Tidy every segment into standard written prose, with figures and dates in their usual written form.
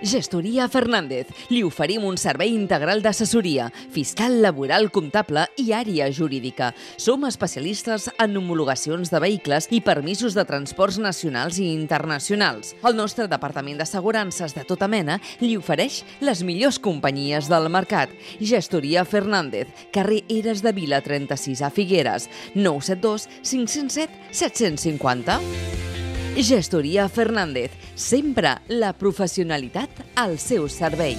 Gestoria Fernández. Li oferim un servei integral d'assessoria, fiscal, laboral, comptable i àrea jurídica. Som especialistes en homologacions de vehicles i permisos de transports nacionals i internacionals. El nostre departament d'assegurances de tota mena li ofereix les millors companyies del mercat. Gestoria Fernández, carrer Eres de Vila 36 a Figueres, 972 507 750. Gestoria Fernández, sempre la professionalitat al seu servei.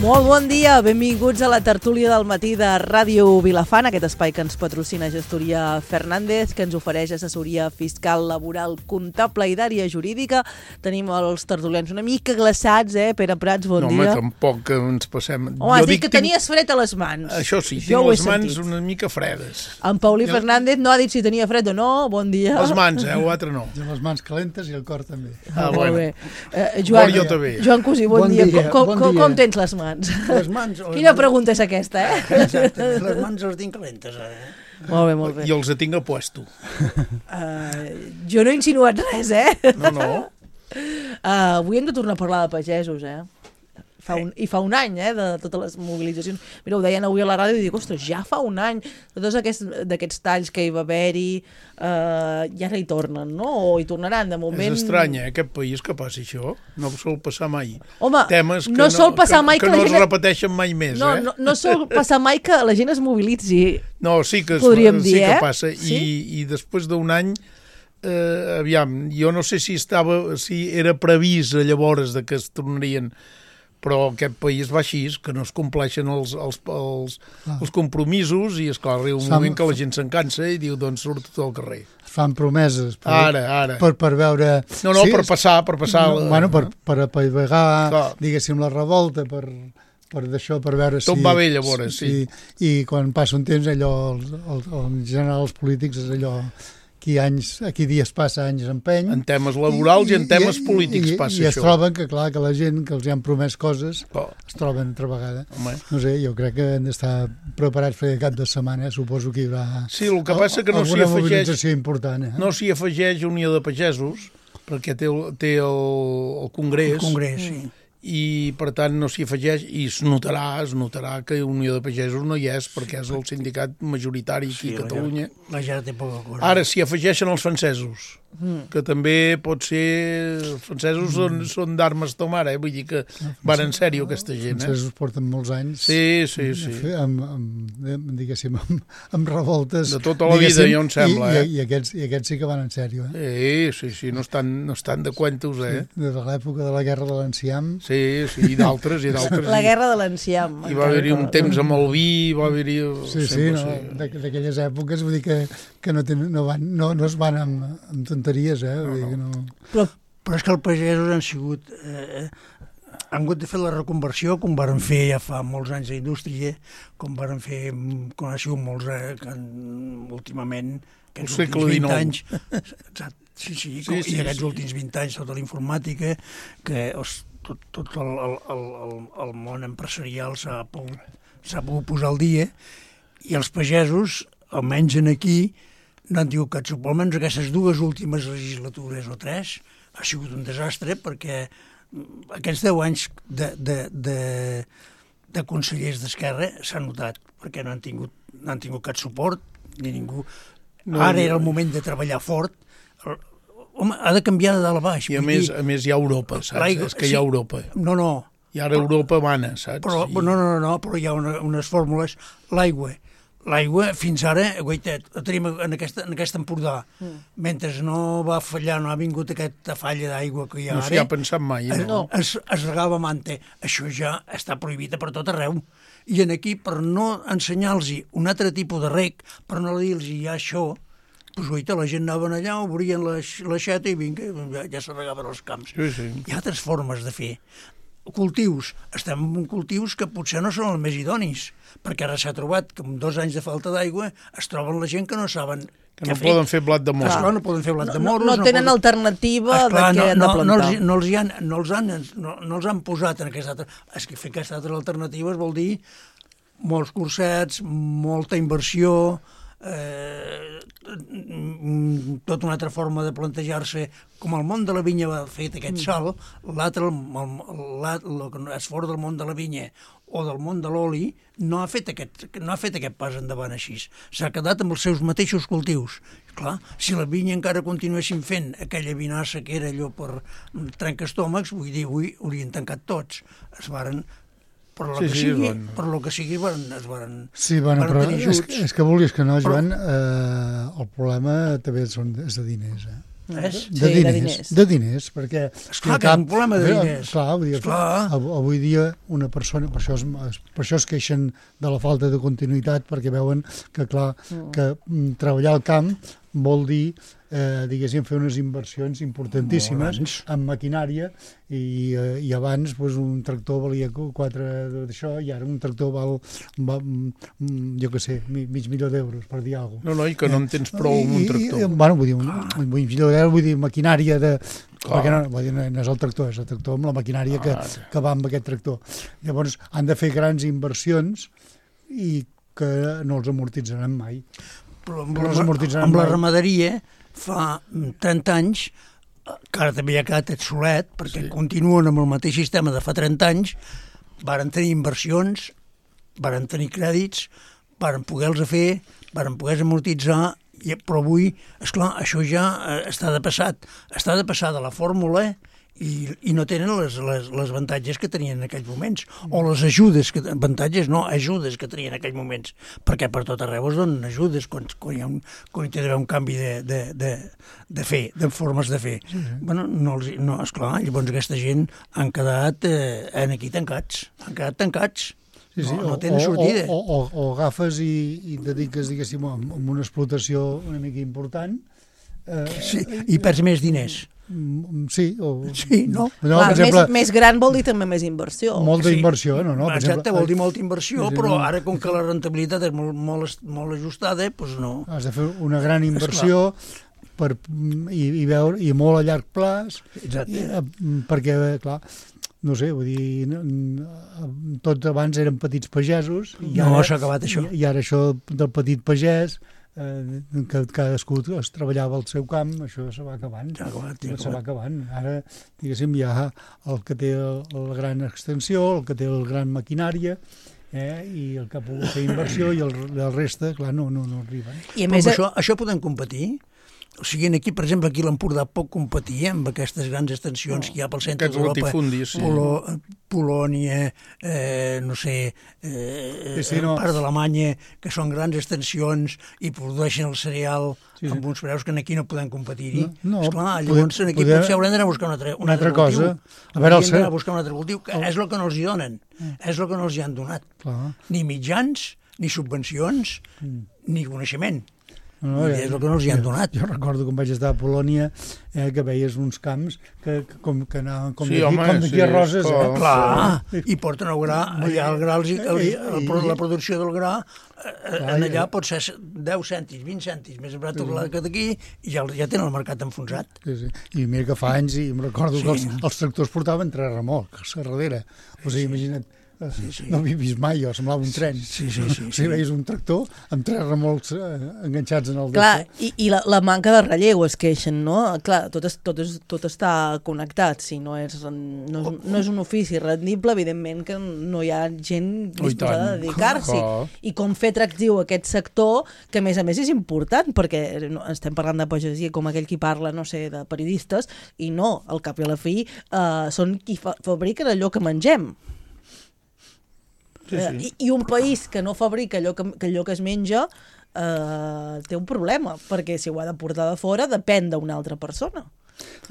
Molt bon dia, benvinguts a la tertúlia del matí de Ràdio Vilafant, aquest espai que ens patrocina Gestoria Fernández, que ens ofereix assessoria fiscal, laboral, comptable i d'àrea jurídica. Tenim els tertulians una mica glaçats, Pere Prats, bon dia. No, home, tampoc que ens passem... Home, has dit que tenies fred a les mans. Això sí, tinc les mans una mica fredes. En Paulí Fernández no ha dit si tenia fred o no, bon dia. Les mans, l'altre no. Jo les mans calentes i el cor també. Molt bé. Joan Cosí, bon dia. Com tens les mans? Les mans... Quina pregunta és aquesta, Exacte, les mans les tinc calentes, Molt bé, molt bé. I els tinc a puesto. Jo no he insinuat res, No. Avui hem de tornar a parlar de pagesos, fa un any, de totes les mobilitzacions. Mira, ho deien avui a la ràdio i dic, ostres, ja fa un any, de tots d'aquests talls que hi va haver-hi, ja no hi tornen, no? O hi tornaran, de moment... És estrany, aquest país que passi això. No sol passar mai. Home, temes que no sol passar mai que no es repeteixen mai més, No sol passar mai que la gent es mobilitzi. No, sí que passa. Sí? I després d'un any, aviam, jo no sé si era previst llavors que es tornarien, però aquest país va així, que no es compleixen els compromisos i, esclar, arriba un moment que la gent s'encansa i diu, doncs surt tot al carrer. Es fan promeses. Ara. Per veure... No, sí, per passar. Bueno, per apaivagar, diguéssim, la revolta, per d'això, per veure si... Tot va bé, llavors, sí. I quan passa un temps, allò, en general, els polítics, és allò... Aquí dies passa, anys empeny. En temes laborals i en temes polítics passa això. I es troben que, clar, que la gent que els han promès coses es troben altra vegada. Home. No sé, jo crec que hem d'estar preparats per cap de setmana. Suposo que hi haurà alguna mobilització important. No s'hi afegeix Unió de Pagesos, perquè té el Congrés. El Congrés, sí. I per tant no s'hi afegeix i es notarà que Unió de Pagesos no hi és perquè és el sindicat majoritari aquí a Catalunya. La gent té poca cosa. Ara s'hi afegeixen els francesos, que també pot ser... Els francesos són d'armes tomar, vull dir que van en sèrio aquesta gent. Els francesos porten molts anys diguéssim, amb revoltes. De tota la vida, ja em sembla. I aquests sí que van en sèrio. Sí, no estan de cuentos, De l'època de la Guerra de l'Enciam. Sí, i d'altres. La Guerra de l'Enciam. I va haver-hi un temps amb el vi, va haver-hi... d'aquelles èpoques, vull dir que no es van amb tonteries, vull dir que no... Però és que els pagesos han sigut... han hagut de fer la reconversió, com varen fer ja fa molts anys d'indústria, com varen fer, com ha sigut molts... últimament, aquests últims 20 anys... Exacte. Sí, i aquests últims 20 anys tota la informàtica, que tot el món empresarial s'ha pogut posar al dia, i els pagesos, almenys aquí, no han tingut cap suport. Almenys aquestes dues últimes legislatures o 3 ha sigut un desastre, perquè aquests 10 anys de consellers d'Esquerra s'ha notat, perquè no han tingut cap suport, ni ningú. Ara era el moment de treballar fort. Home, ha de canviar de dalt a baix. I a més hi ha Europa, saps? És que hi ha Europa. No. I ara Europa mana, saps? Però hi ha unes fórmules. L'aigua, fins ara, guaitet, la tenim en aquest Empordà. Mentre no va fallar, no ha vingut aquesta falla d'aigua que hi ha ara... No s'hi ha pensat mai, no? Es regava manta. Això ja està prohibit per tot arreu. I aquí, per no ensenyar-los un altre tipus de reg, per no dir-los ja això, doncs, guaita, la gent anaven allà, obrien l'aixeta i vinga, ja se regaven els camps. Sí. Hi ha altres formes de fer. Cultius. Estem en cultius que potser no són els més idonis, perquè ara s'ha trobat que amb 2 anys de falta d'aigua es troben la gent que no saben Que no poden fer blat de moro. Esclar, no poden fer blat de moro. No tenen alternativa de què han de plantar. No els han posat en aquesta altra... És que fer aquestes altres alternatives vol dir molts cursets, molta inversió, tota una altra forma de plantejar-se. Com el món de la vinya va fer aquest salt, l'altre, el que és fora del món de la vinya o del món de l'oli, no ha fet aquest pas endavant així. S'ha quedat amb els seus mateixos cultius. Clar, si la vinya encara continuessin fent aquella vinassa que era allò per trencastomàcs, vull dir, avui haurien tancat tots. Es varen... Per lo que sigui, es varen tenir ajuts. És que vulguis que no, Joan, el problema també és de diners, De diners, perquè... Esclar que és un problema de diners. Avui dia una persona, per això es queixen de la falta de continuïtat, perquè veuen que, clar, que treballar al camp vol dir, diguéssim, fer unes inversions importantíssimes en maquinària i abans un tractor valia 4 d'això i ara un tractor val jo què sé, $500,000 per dir alguna cosa. No, i que no en tens prou amb un tractor. Bueno, vull dir, $500,000, vull dir, maquinària de... Perquè no és el tractor, és el tractor amb la maquinària que va amb aquest tractor. Llavors, han de fer grans inversions i que no els amortitzaran mai. Però amb la ramaderia fa 30 anys, que ara també ja ha quedat obsolet, perquè continuen amb el mateix sistema de fa 30 anys, varen tenir inversions, varen tenir crèdits, varen poder-los fer, varen poder-los amortitzar, però avui, esclar, això ja està de passar de la fórmula i no tenen les avantatges que tenien en aquells moments, o les ajudes que tenien en aquells moments, perquè per tot arreu es donen ajudes quan hi ha un canvi de fer, de formes de fer. Bueno, esclar, llavors aquesta gent han quedat aquí tancats, no tenen sortida. O agafes i dediques, diguéssim, a una explotació una mica important, i perds més diners. Sí, no? Més gran vol dir també més inversió. Molta inversió, no? Exacte, vol dir molta inversió, però ara com que la rentabilitat és molt ajustada, doncs no. Has de fer una gran inversió i molt a llarg plaç, perquè, clar, no sé, vull dir, tots abans eren petits pagesos, no s'ha acabat això. I ara això del petit pagès, que cadascú es treballava al seu camp, això se va acabant. Ara, diguéssim, hi ha el que té la gran extensió, el que té la gran maquinària, i el que ha pogut fer inversió, i el reste, clar, no arriben. I a més, això podem competir? O sigui, aquí, per exemple, aquí a l'Empordà pot competir amb aquestes grans extensions que hi ha pel centre d'Europa, Polònia, no sé, part d'Alemanya, que són grans extensions i produeixen el cereal amb uns preus que aquí no podem competir-hi. Esclar, llavors aquí potser haurem d'anar a buscar un altre cultiu. Haurem d'anar a buscar un altre cultiu, que és el que no els hi donen, és el que no els hi han donat. Ni mitjans, ni subvencions, ni coneixement. És el que no els hi han donat. Jo recordo quan vaig estar a Polònia, que veies uns camps que anaven com d'aquí a Roses. Clar, i porten el gra, allà el gra, la producció del gra, allà pot ser 10 cèntims, 20 cèntims, més barat que d'aquí, i ja tenen el mercat enfonsat. I mira que fa anys, i em recordo que els tractors portaven 3 remolcs a darrere. O sigui, imagina't, no havia vist mai, semblava un tren. O sigui, veies un tractor amb 3 remolcs enganxats en el Clar, i la manca de relleu es queixen, no? Clar, tot està connectat. Si no és un ofici rendible, evidentment que no hi ha gent disposada a dedicar-s'hi. I com fer atractiu aquest sector, que a més és important, perquè estem parlant de pagesia com aquell qui parla, no sé, de periodistes, i no, al cap i a la fi, són qui fabriquen allò que mengem. I un país que no fabrica allò que es menja té un problema, perquè si ho ha de portar de fora depèn d'una altra persona.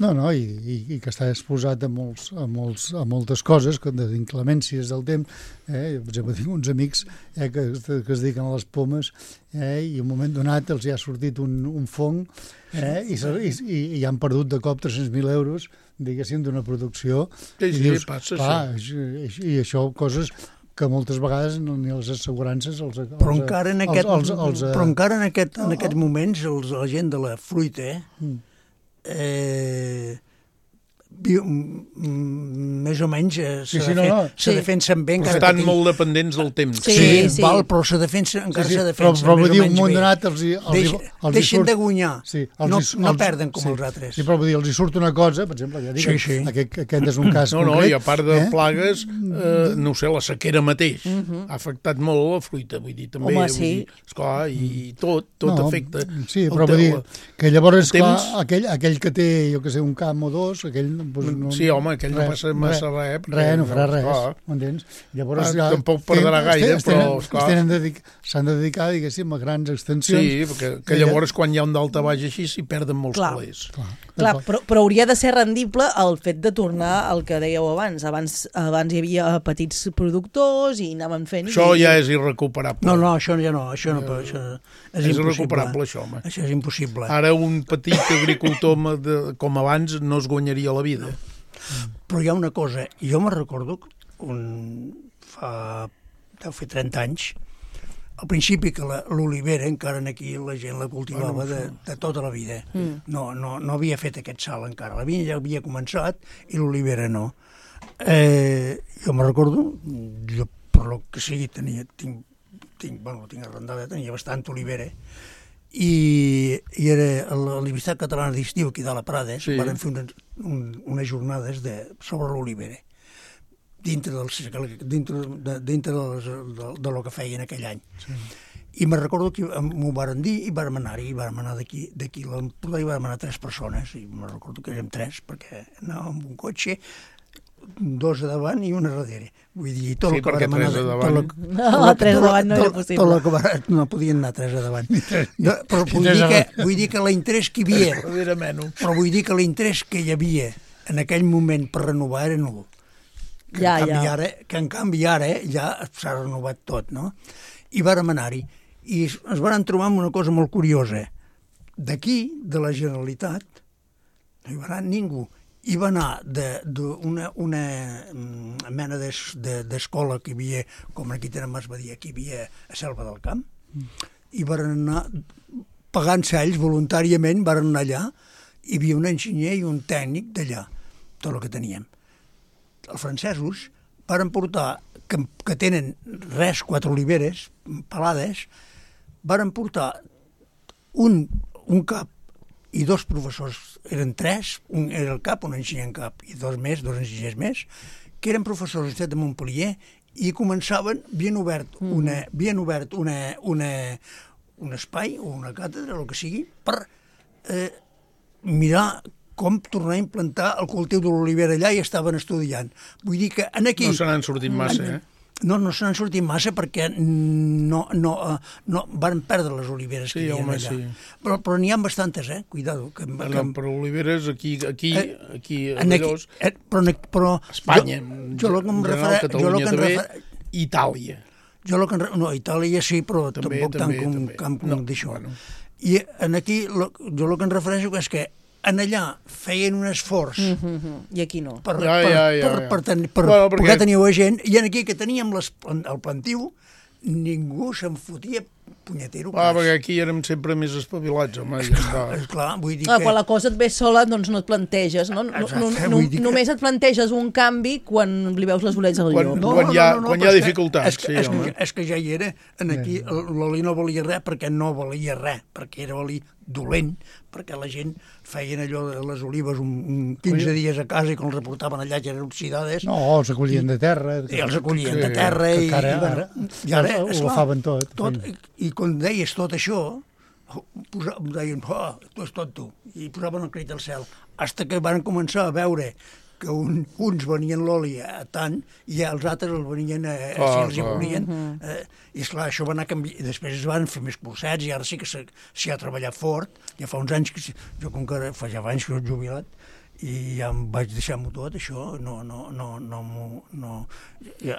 No, i que està exposat a moltes coses, de inclemències del temps. Per exemple, tinc uns amics que es dediquen a les pomes, i en un moment donat els hi ha sortit un fong, i han perdut de cop 300.000 euros, diguéssim, d'una producció. Sí, passa això. I això, coses que moltes vegades ni les assegurances però encara en aquests moments la gent de la fruita més o menys se defensen bé. Estan molt dependents del temps. Però se defensen, encara se defensen però vull dir, un munt bé. donat Deixen de guanyar, no perden com els altres. Sí, però vull dir, els hi surt una cosa, per exemple, ja dic, aquest és un cas concret. I a part de plagues, no sé, la sequera mateix ha afectat molt la fruita, vull dir, també. Home, sí. Esclar, i tot afecta. Sí, però vull dir, que llavors, esclar, aquell que té, jo que sé, un camp o dos, aquell sí, home, aquell no passa massa res. No farà res, m'entens? Llavors tampoc perdrà gaire, però s'han de dedicar, diguéssim, a grans extensions. Sí, que llavors quan hi ha un daltabaix així s'hi perden molts calés. Clar, però hauria de ser rendible el fet de tornar al que dèieu abans. Abans hi havia petits productors i anaven fent... Això ja és irrecuperable. No, això ja no. Això és irrecuperable, això, home. Això és impossible. Ara un petit agricultor com abans no es guanyaria la vida. Però hi ha una cosa, jo me recordo deu fer 30 anys, al principi que l'olivera encara aquí la gent la cultivava de tota la vida. No havia fet aquest salt encara. La vinya ja havia començat i l'olivera no. Jo me recordo, jo per lo que sigui tinc arrendada, tenia bastant olivera, i era a la Universitat Catalana d'Estiu aquí de la Prades, van fer unes jornades sobre l'olivera dintre de lo que feien aquell any. I me recordo que m'ho varen dir i vàrem anar-hi, vàrem anar d'aquí a l'Empordà i vàrem anar 3 persones, i me recordo que érem 3 perquè anàvem amb un cotxe, 2 a davant i 1 a darrere. Vull dir, tot el que vàrem anar... 3 a davant no era possible. No podien anar 3 a davant. Però vull dir que l'interès que hi havia... Però vull dir que l'interès que hi havia en aquell moment per renovar era nul. Que en canvi ara ja s'ha renovat tot, no? I vàrem anar-hi. I ens vàrem trobar amb una cosa molt curiosa. D'aquí, de la Generalitat, no hi va anar ningú. Hi va anar d'una mena d'escola que hi havia, com aquí tenen Mas Badia, que hi havia a Selva del Camp, i van anar pagant-se ells voluntàriament, van anar allà, hi havia un enginyer i un tècnic d'allà, tot el que teníem. Els francesos varen portar, que tenen 4 oliveres pelades, varen portar un cap i 2 professors, eren 3, un era el cap, un enginyer en cap, i 2 enginyers més, que eren professors de l'Universitat de Montpellier i començaven, havien obert un espai o una càtedra, el que sigui, per mirar com tornar a implantar el cultiu de l'olivera allà i estaven estudiant. Vull dir que aquí... No se n'han sortit massa, No se n'han sortit massa perquè no van perdre les oliveres que hi havia allà. Sí. Però n'hi ha bastantes, cuidado. Però oliveres aquí però Espanya, Catalunya també, Itàlia. Itàlia sí, però tampoc tant com d'això. I aquí jo el que em refereixo és que en allà feien un esforç i aquí no perquè teniu gent, i aquí que teníem el plantiu ningú se'n fotia punyetero. Perquè aquí érem sempre més espavilats, home. Esclar, vull dir que... Quan la cosa et ve sola, doncs no et planteges, no? Només et planteges un canvi quan li veus les bolets al llop. Quan hi ha dificultats, sí, home. És que ja hi era, aquí l'oli no valia res, perquè no valia res, perquè era oli dolent, perquè la gent feien allò de les olives 15 dies a casa i quan els reportaven allà ja eren oxidades. No, els acollien de terra. I els acollien de terra i ara ho agafaven tot. I quan deies tot això, deien, tu és tot tu, i posaven el crit al cel, fins que van començar a veure que uns venien l'oli a tant i els altres el venien si els hi volien. I esclar, això va anar canviant. I després es van fer més cursets i ara sí que s'hi ha treballat fort. Ja fa uns anys que jo, com que fa ja anys que soc jubilat, i ja em vaig deixar-m'ho tot, això,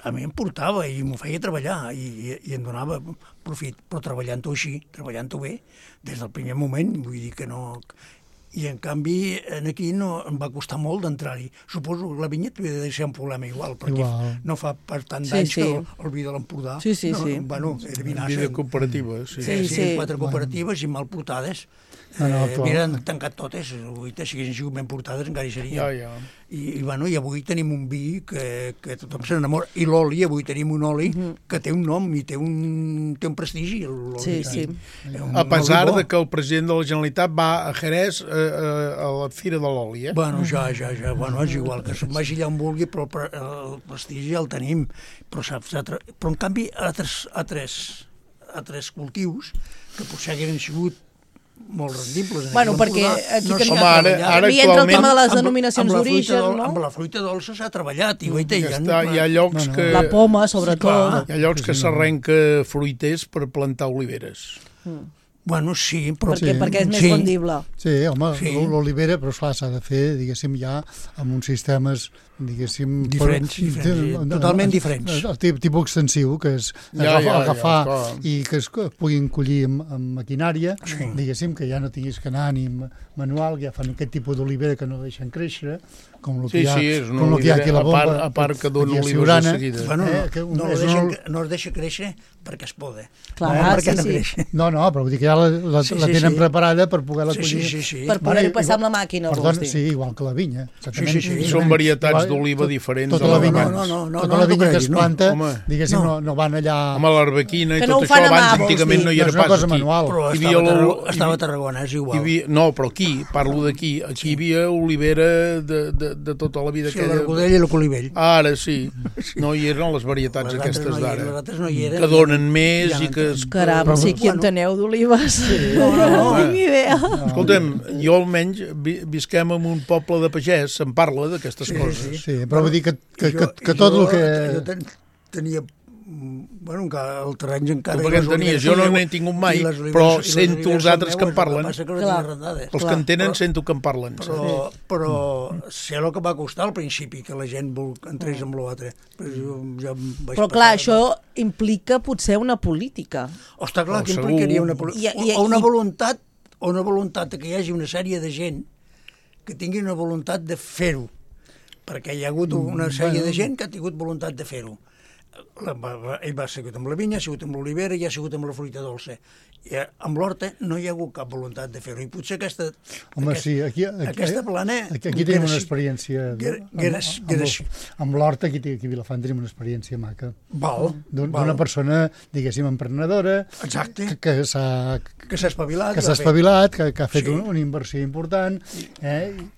a mi em portava i m'ho feia treballar i em donava profit, però treballant-ho així, treballant-ho bé, des del primer moment, vull dir que no... I, en canvi, aquí no em va costar molt d'entrar-hi. Suposo que la vinyeta havia de ser un problema igual, perquè no fa per tant d'anys que el vi de l'Empordà... Sí. Bueno, era vinassa. Vida cooperativa, Sí, 4 cooperatives i mal portades. Havien tancat totes, si haguessin sigut ben portades encara hi serien. I avui tenim un vi que tothom se n'enamora. I l'oli, avui tenim un oli que té un nom i té un prestigi. Sí. A pesar de que el president de la Generalitat va a Jerez a la Fira de l'Oli, Bueno, ja. Bueno, és igual, que se'n vagi allà on vulgui, però el prestigi ja el tenim. Però en canvi, altres cultius que potser hagueren sigut molt rendibles. Bueno, perquè aquí ara entra el tema de les denominacions d'origen, no? Amb la fruita dolça s'ha treballat. Hi ha llocs que... La poma, sobretot. Hi ha llocs que s'arrenca fruiters per plantar oliveres. Bueno, sí, però... Perquè és més rendible. Sí, home, l'olivera, però esclar, s'ha de fer, diguéssim, ja amb uns sistemes, diguéssim... Diferents, totalment diferents. Tipus extensiu, que és agafar i que es puguin collir amb maquinària, diguéssim, que ja no tinguis que anar ni manual, que ja fan aquest tipus d'olivera que no deixen créixer, com el que hi ha aquí a la bomba. A part que dona olives de seguida. No es deixa créixer perquè es poda. Clar, sí. No, però vull dir que ja la tenen preparada per poder-la collir. Per poder-ho passar amb la màquina, vols dir. Sí, igual que la vinya. Són varietats d'oliva diferents. Tota la vinya que es planta, diguéssim, no van allà... Home, l'arbequina i tot això, abans antigament no hi era pas aquí. Però estava a Tarragona, és igual. No, però aquí, parlo d'aquí, aquí hi havia olivera de tota la vida. Sí, l'argodell i el colivell. Ara sí, no hi eren les varietats aquestes d'ara. Les altres no hi eren. Que donen més i que... Caram, sí, qui enteneu d'olives? No tinc ni idea. Escolta'm, jo almenys visquem en un poble de pagès, se'n parla d'aquestes coses. Sí, però vull dir que tot el que... Jo tenia... Bueno, el terreny encara... Tu perquè en tenies, jo no n'he tingut mai, però sento els altres que en parlen. Els que en tenen sento que en parlen. Però sé el que va costar al principi, que la gent entrés amb l'altre. Però clar, això implica potser una política. Està clar que implicaria una política. O una voluntat que hi hagi una sèrie de gent que tingui una voluntat de fer-ho. Perquè hi ha hagut una sèrie de gent que ha tingut voluntat de fer-ho. Ell va sigut amb la vinya, ha sigut amb l'olivera i ha sigut amb la fruita dolça. I amb l'horta no hi ha hagut cap voluntat de fer-ho. I potser aquesta plana... Aquí tenim una experiència... Amb l'horta, aquí a Vilafant tenim una experiència maca. D'una persona, diguéssim, emprenedora... Exacte. Que s'ha espavilat. Que ha fet una inversió important.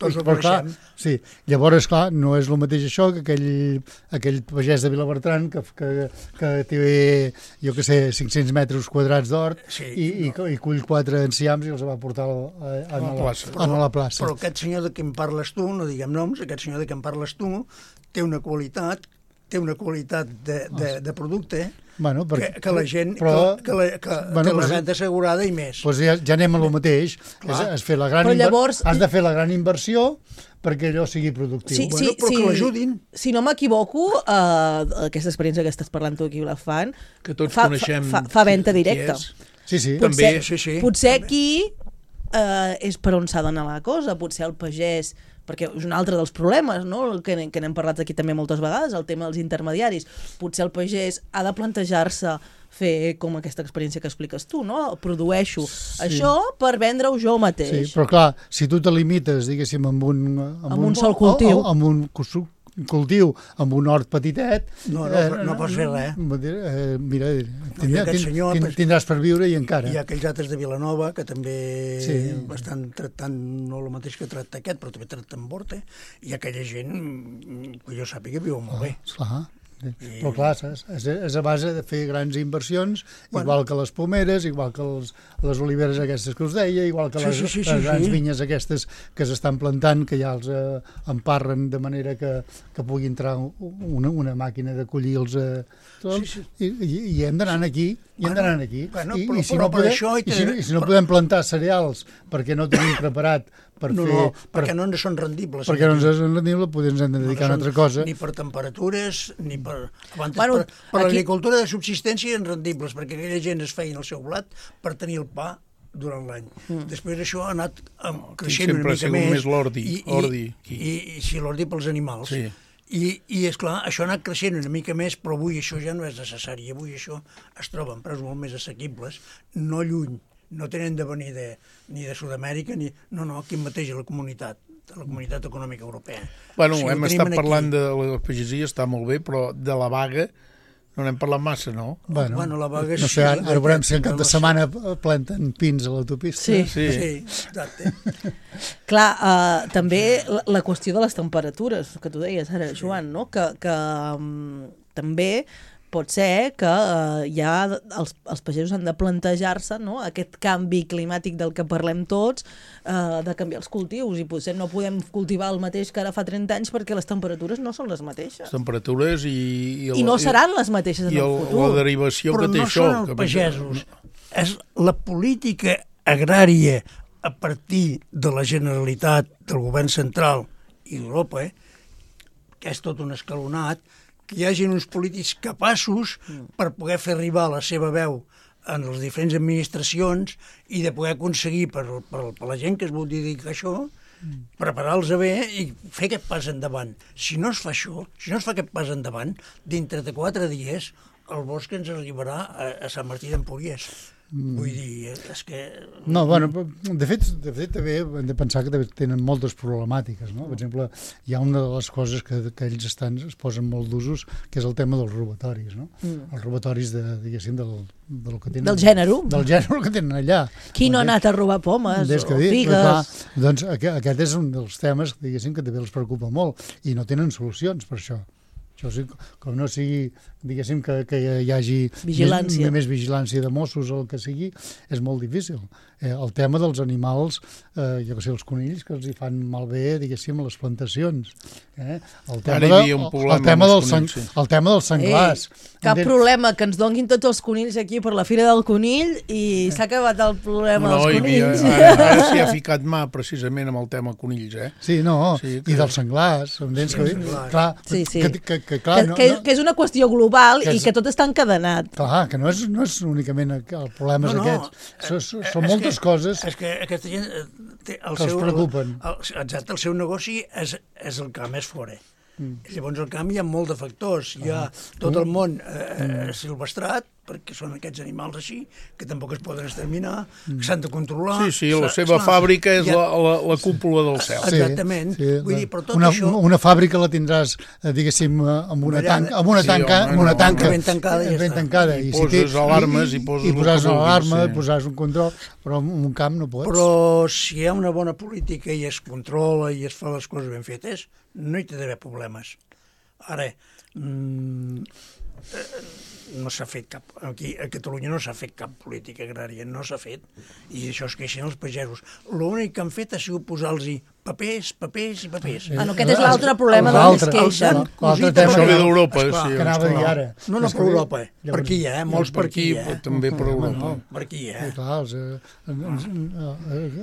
Tots ho coneixem. Sí, llavors, clar, no és el mateix això que aquell pagès de Vilabertran que té, jo què sé, 500 metres quadrats d'hort i cull 4 enciams i els va portar a la plaça. Però aquest senyor de què em parles tu, no diguem noms, aquest senyor de què em parles tu té una qualitat de producte que la gent que la renta assegurada i més. Doncs ja anem a lo mateix. Has de fer la gran inversió perquè allò sigui productiu. Però que l'ajudin. Si no m'equivoco, aquesta experiència que estàs parlant tu aquí a Vilafant, que tots coneixem fa venda directa. Sí. Potser aquí és per on s'ha d'anar la cosa, potser el pagès, perquè és un altre dels problemes, no? que n'hem parlat aquí també moltes vegades, el tema dels intermediaris. Potser el pagès ha de plantejar-se fer com aquesta experiència que expliques tu, no? Produeixo això per vendre-ho jo mateix. Sí, però clar, si tu te limites, diguéssim, amb un sol cultiu, amb un cultiu amb un hort petitet... No pots fer res. Mira, tindràs per viure i encara. Hi ha aquells altres de Vilanova que també estan tractant, no el mateix que tracta aquest, però també tracten Borte, i aquella gent, que jo sàpiga, viu molt bé. Clar. Però clar, és a base de fer grans inversions, igual que les pomeres, igual que les oliveres aquestes que us deia, igual que les grans vinyes aquestes que s'estan plantant, que ja els emparren de manera que pugui entrar una màquina de collir-los i hem d'anar aquí. I si no podem plantar cereals perquè no tenim preparat perquè no ens són rendibles. Perquè no ens són rendibles, potser ens hem de dedicar a una altra cosa. Ni per temperatures, ni per... Per l'agricultura de subsistència eren rendibles, perquè aquella gent es feien el seu blat per tenir el pa durant l'any. Després això ha anat creixent una mica més. Sempre ha sigut més l'ordi. I sí, l'ordi pels animals. Sí. I esclar, això ha anat creixent una mica més, però avui això ja no és necessari. Avui això es troba en preus molt més assequibles, no lluny, no tenen de venir ni de Sud-amèrica, no, aquí mateix a la comunitat econòmica europea. Bueno, hem estat parlant de la pagesia, està molt bé, però de la vaga no n'hem parlat massa, no? Bueno, la vaga no sé, ara veurem si en cap de setmana planten pins a l'autopista. Sí, exacte. Clar, també la qüestió de les temperatures, que tu deies ara, Joan, no? Que també pot ser que ja els pagesos han de plantejar-se, no?, aquest canvi climàtic del que parlem tots, de canviar els cultius, i potser no podem cultivar el mateix que ara fa 30 anys perquè les temperatures no són les mateixes. Les temperatures i no seran les mateixes en el futur. La derivació que té això. Però no són els pagesos, és la política agrària a partir de la Generalitat, del govern central i d'Europa, que és tot un escalonat, que hi hagi uns polítics capaços per poder fer arribar la seva veu en les diferents administracions i de poder aconseguir per la gent que es vol dedicar a això, preparar-los bé i fer aquest pas endavant. Si no es fa això, si no es fa aquest pas endavant, dintre de 4 dies el bosc ens arribarà a Sant Martí d'Empúries. Vull dir, és que... No, bueno, de fet també hem de pensar que tenen moltes problemàtiques, no? Per exemple, hi ha una de les coses que ells es posen molt d'usos, que és el tema dels robatoris, no? Els robatoris, diguéssim, del que tenen... Del gènere. Del gènere que tenen allà. Qui no ha anat a robar pomes o figues? Doncs aquest és un dels temes, diguéssim, que també els preocupa molt, i no tenen solucions per això. Això sí, com no sigui, diguéssim, que hi hagi més vigilància de Mossos o el que sigui, és molt difícil. El tema dels animals, jo que sé, els conills, que els hi fan malbé, diguéssim, a les plantacions. El tema dels senglars. Cap problema, que ens donguin tots els conills aquí per la Fira del Conill i s'ha acabat el problema dels conills. Ara s'hi ha ficat mà precisament amb el tema conills, Sí, i dels senglars. Clar, que és una qüestió global i que tot està encadenat. Clar, que no és únicament el problema aquests. Són moltes coses que aquesta gent que els preocupen. Exacte, el seu negoci és el camp, és fora. Llavors al camp hi ha molt de factors. Hi ha tot el món silvestrat, perquè són aquests animals així, que tampoc es poden exterminar, que s'han de controlar. Sí, la seva fàbrica és la cúpula del cel. Exactament. Vull dir, però tot això... Una fàbrica la tindràs, diguéssim, amb una tanca ben tancada. I poses alarmes, i posaràs una alarma, posaràs un control, però en un camp no pots. Però si hi ha una bona política i es controla i es fa les coses ben fetes, no hi té d'haver problemes. Ara, no s'ha fet cap... Aquí a Catalunya no s'ha fet cap política agrària, no s'ha fet, i això es queixen els pagesos. L'únic que han fet ha sigut posar-los papers. Aquest és l'altre problema del que es queixen. Això ve d'Europa, sí. Que anava a dir ara. No per Europa, per aquí, molts per aquí. També per Europa. Per aquí, Clar,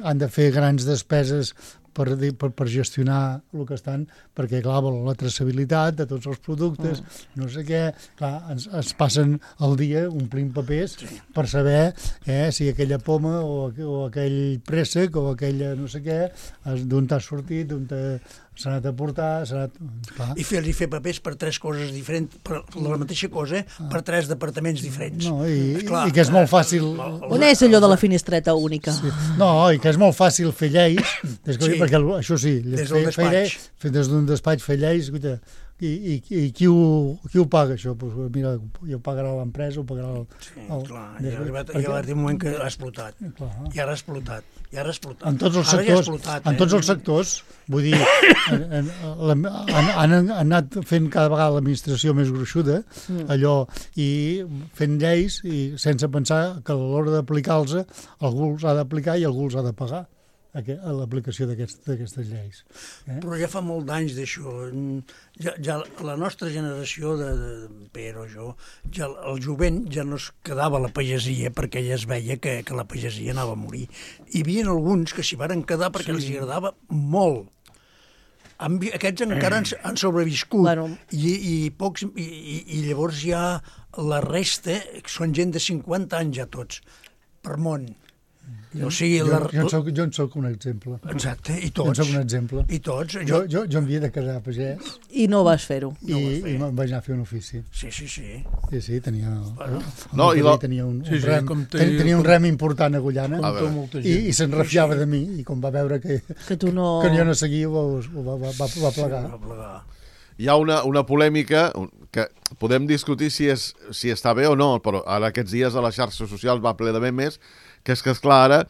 han de fer grans despeses per gestionar el que estan, perquè, clar, volen la traçabilitat de tots els productes, no sé què, clar, ens passen el dia omplint papers per saber si aquella poma o aquell préssec o aquella no sé què, d'on t'ha sortit, d'on s'ha anat a portar, I fer papers per 3 coses diferents, per la mateixa cosa, per 3 departaments diferents. No, i que és molt fàcil... On és allò de la finestreta única? No, i que és molt fàcil fer lleis, perquè això sí, des d'un despatx fer lleis, i qui ho paga, això? Pues mira, ja ho pagarà l'empresa, ho pagarà el... Clar, ja ha arribat un moment que ha explotat. I ara ha explotat. En tots els sectors, vull dir, han anat fent cada vegada l'administració més gruixuda, allò, i fent lleis, i sense pensar que a l'hora d'aplicar-los, algú els ha d'aplicar i algú els ha de pagar a l'aplicació d'aquestes lleis. Però ja fa molt d'anys d'això. Ja la nostra generació, de Pere o jo, el jovent ja no es quedava a la pagesia perquè ja es veia que la pagesia anava a morir. Hi havia alguns que s'hi varen quedar perquè els agradava molt. Aquests encara han sobreviscut i llavors ja la resta són gent de 50 anys ja tots, per món. O sigui, jo en soc un exemple. Exacte, i tots. Jo en soc un exemple. I tots. Jo em havia de casar pagès. I no vas fer-ho. I me'n vaig anar a fer un ofici. Sí. Sí, tenia... Tenia un rem important a Agullana i se'n refiava de mi, i com va veure que jo no seguia, va plegar. Hi ha una polèmica que podem discutir si està bé o no, però ara aquests dies a les xarxes socials va ple de memes, que és que, esclar, ara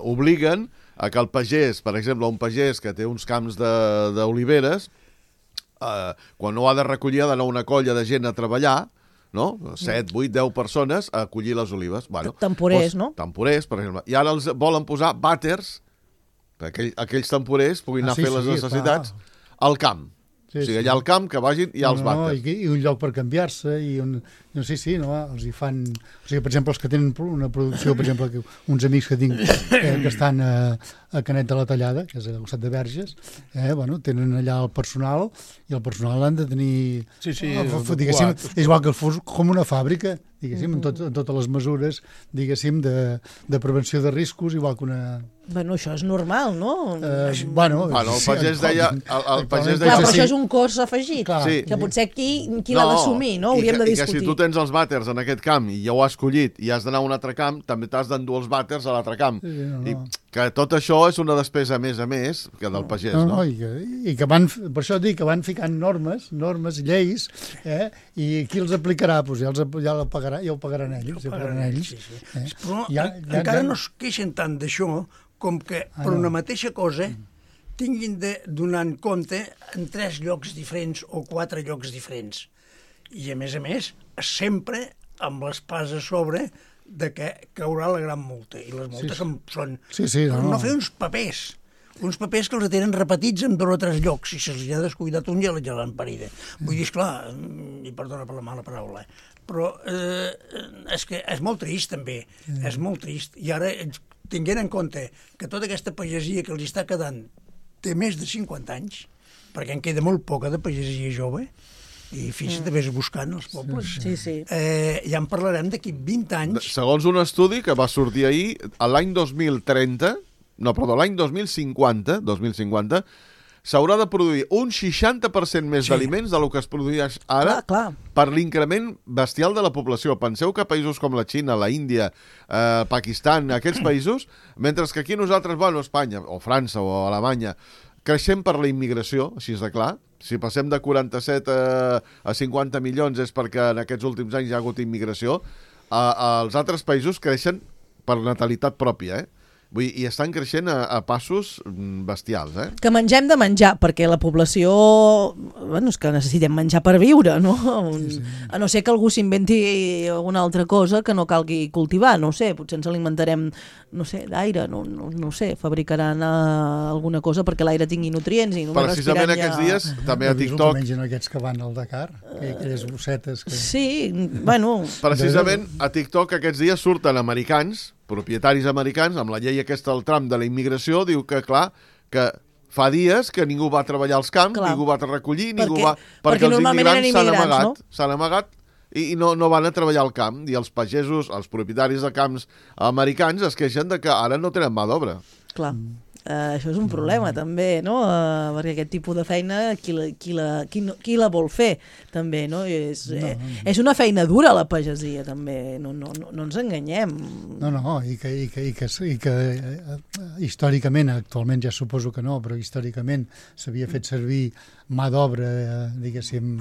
obliguen a que el pagès, per exemple, un pagès que té uns camps d'oliveres, quan no ha de recollir, ha d'anar una colla de gent a treballar, no? 7, 8, 10 persones a collir les olives. Temporers, no? Temporers, per exemple. I ara els volen posar vàters, perquè aquells temporers puguin anar a fer les necessitats al camp. O sigui, allà al camp, que vagin i als vàters. I un lloc per canviar-se, els hi fan... O sigui, per exemple, els que tenen una producció, per exemple, uns amics que tinc que estan a Canet de la Tallada, que és al costat de Verges, tenen allà el personal, i el personal l'han de tenir... Diguéssim, és igual que fos com una fàbrica, diguéssim, en totes les mesures, diguéssim, de prevenció de riscos, igual que una... Bueno, això és normal, no? El pagès deia... Clar, però això és un cost afegit, que potser qui l'ha d'assumir, no? Hauríem de discutir. I que si tu tens els vàters en aquest camp i ja ho has collit i has d'anar a un altre camp, també t'has d'endur els vàters a l'altre camp. I que tot això és una despesa a més que del pagès, no? I que van, per això dic, que van ficant normes, lleis, i qui els aplicarà? Doncs ja ho pagaran ells. Però encara no es queixen tant d'això com que per una mateixa cosa tinguin de donar en compte en 3 llocs diferents o 4 llocs diferents. I, a més, sempre amb l'espàs a sobre de que caurà la gran multa. I les multes són no fer uns papers que els tenen repetits en 2 o 3 llocs, i si se'ls ha descuidat un ja l'han parida. Vull dir, esclar, i perdona per la mala paraula, però és que és molt trist, també. És molt trist. I ara, tinguent en compte que tota aquesta pagesia que els està quedant té més de 50 anys, perquè en queda molt poca de pagesia jove, i fixa't, vés buscant els pobles. Ja en parlarem d'aquí 20 anys. Segons un estudi que va sortir ahir, l'any 2050, l'any 2050, s'haurà de produir un 60% més d'aliments del que es produeix ara per l'increment bestial de la població. Penseu que països com la Xina, la Índia, Pakistan, aquells països, mentre que aquí nosaltres, Espanya, o França, o Alemanya, creixem per la immigració, així és de clar. Si passem de 47 a 50 milions és perquè en aquests últims anys hi ha hagut immigració. Els altres països creixen per natalitat pròpia, Vull dir, i estan creixent a passos bestials, Que mengem de menjar, perquè la població... és que necessitem menjar per viure, no? A no ser que algú s'inventi alguna altra cosa que no calgui cultivar, no sé, potser ens alimentarem, d'aire, no sé, fabricaran alguna cosa perquè l'aire tingui nutrients i només precisament aquests dies, també a TikTok... Mengen aquests que van al Dakar, aquelles bossetes que... Sí, Precisament a TikTok aquests dies surten americans, propietaris americans, amb la llei aquesta del Trump de la immigració, diu que, clar, que fa dies que ningú va treballar als camps, ningú va recollir, perquè els immigrants s'han amagat i no van a treballar al camp. I els pagesos, els propietaris de camps americans es queixen de que ara no tenen mà d'obra. Clar. Això és un problema també, no? Perquè aquest tipus de feina qui la vol fer també, no? És una feina dura la pagesia també, no ens enganyem. I que històricament, actualment ja suposo que no, però històricament s'havia fet servir mà d'obra, diguéssim,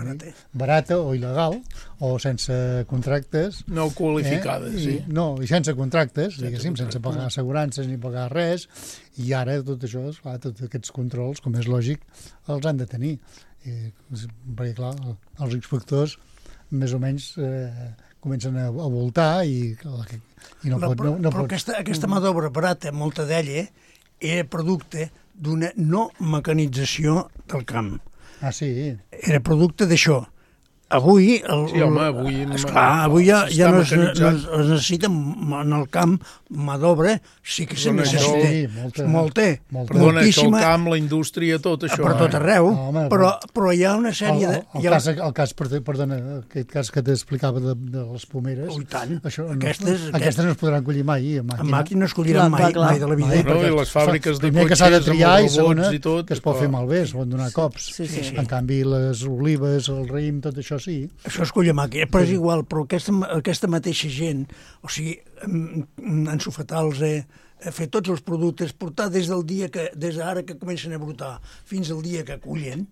barata o il·legal, o sense contractes. No qualificades, sí. No, i sense contractes, diguéssim, sense pagar assegurances ni pagar res, i ara tot això, clar, tots aquests controls, com és lògic, els han de tenir. Perquè, clar, els inspectors més o menys comencen a voltar i no pot... Però aquesta mà d'obra barata, molta d'ella, era producte d'una no mecanització del camp. Ah, sí? Era producte d'això. Avui... Sí, home, avui... Esclar, avui ja no es necessita en el camp mà d'obra, sí que se necessita. Molta. Perdona, això, el camp, la indústria, tot això. Per tot arreu, però hi ha una sèrie de... El cas, perdona, aquest cas que t'explicava de les pomeres... Ui, tant. Aquestes no es podran collir mai a màquina. A màquina no es colliran mai de la vida. I les fàbriques de cotxes, que s'ha de triar, i segona, que es pot fer malbé, es poden donar cops. En canvi, les olives, el raïm, tot això sí. Això es colla a màquina, però és igual, però aquesta mateixa gent, o sigui, ensofetar-los, fer tots els productes, portar des d'ara que comencen a brotar fins al dia que cullen,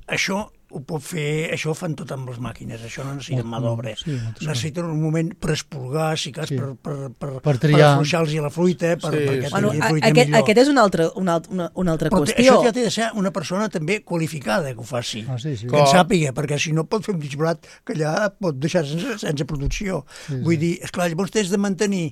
això ho pot fer, això ho fan tot amb les màquines, això no necessita mà d'obra. Necessiten un moment per espurgar, si cas, per afluixar-los la fruita, perquè tingui fruita millor. Aquest és una altra qüestió. Però això ja té de ser una persona també qualificada que ho faci, que en sàpiga, perquè si no pot fer un disbarat que allà pot deixar sense producció. Vull dir, esclar, llavors tens de mantenir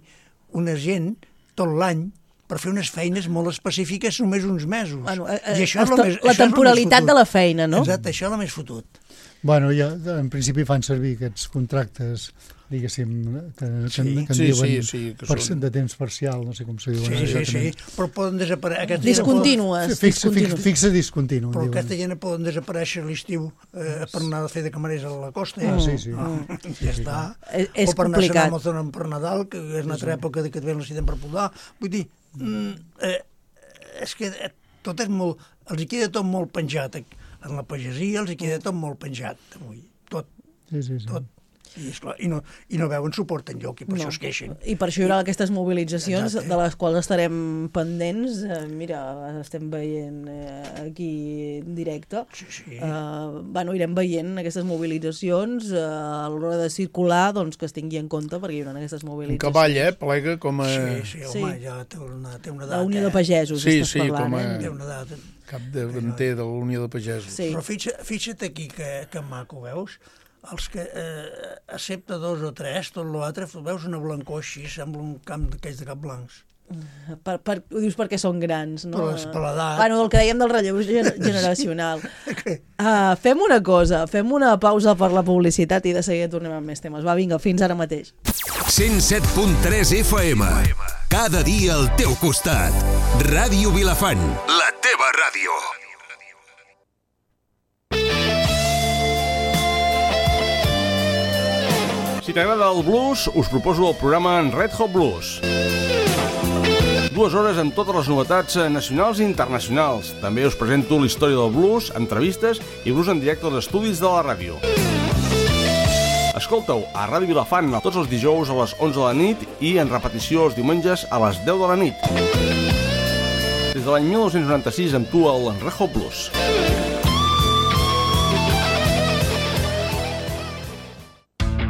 una gent tot l'any per fer unes feines molt específiques només uns mesos. La temporalitat de la feina, no? Exacte, això és el més fotut. Bueno, ja en principi fan servir aquests contractes, diguéssim, que en diuen de temps parcial, no sé com se diuen. Sí, però poden desaparèixer... Discontínues. Fixa discontinu. Però aquesta gent poden desaparèixer a l'estiu per anar a fer de camarers a la costa. Ja està. És complicat. O per anar a Amazon per Nadal, que és una altra època que et ve necessiten per podar. Vull dir, és que tot és molt... Els hi queda tot molt penjat. En la pagesia els hi queda tot molt penjat avui. Tot. Tot. I no veuen suport enlloc, i per això es queixen. I per això hi haurà aquestes mobilitzacions de les quals estarem pendents. Mira, estem veient aquí en directe. Irem veient aquestes mobilitzacions a l'hora de circular, doncs que es tingui en compte, perquè hi haurà aquestes mobilitzacions. Un cavall, plega com a... Sí, home, ja té una edat. La Unió de Pagesos, estàs parlant. Té una edat. Capdavanter de la Unió de Pagesos. Però fixa't aquí que maco, veus? Els que, excepte 2 o 3, tot l'altre, veus una blancor així, sembla un camp d'aquells de cap blancs. Ho dius perquè són grans, no? Per l'edat. Bueno, el que dèiem del relleu generacional. Fem una cosa, fem una pausa per la publicitat i de seguida tornem amb més temes. Va, vinga, fins ara mateix. 107.3 FM. Cada dia al teu costat. Ràdio Vilafant, la teva ràdio. Si t'agrada el blues, us proposo el programa Red Hot Blues. 2 hores amb totes les novetats nacionals i internacionals. També us presento la història del blues, entrevistes i blues en directe als estudis de la ràdio. Escolta-ho a Ràdio Vilafant tots els dijous a les 11 de la nit i en repetició els diumenges a les 10 de la nit. Des de l'any 1996 amb tu al Red Hot Blues.